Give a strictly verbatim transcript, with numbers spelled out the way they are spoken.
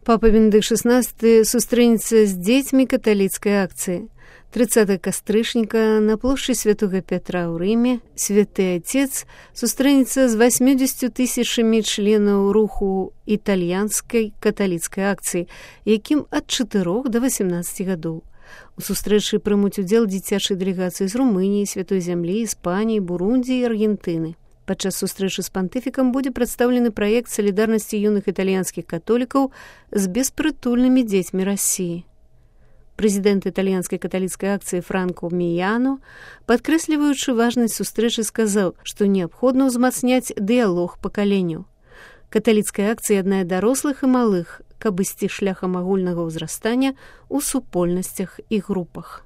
Папа Бенедыкт шестнадцатый сустрэнецца з дзецьмі каталіцкай акцыі. тридцатого кастрычніка на плошчы Святога Пятра ў Рыме святы Отец сустрэнецца з восьмидесятью тысячамі членаў руху італьянскай каталіцкай акцыі, якім ад чатырох да восемнадцаці гадоў. У сустрэчы прымуць удзел дзіцячай дэлегацыі з Румыніі, Святой Зямлі, Іспаніі, Бурундзі і Аргентыны. Падчас сустрэчы з пантыфікам будзе прадстаўлены праект салідарнасці юных італьянскіх католікаў з беспрытульнымі дзецьмі Расіі. Прэзідэнт італьянскай каталіцкай акцыі Франко Міяно, падкрэсліваючы важнасць сустрэчы, сказаў, што неабходна ўзмацняць дыялог пакаленняў. Каталіцкая акцыя яднае дарослых і малых, каб ісці шляхам агульнага ўзрастання ў супольнасцях і групах.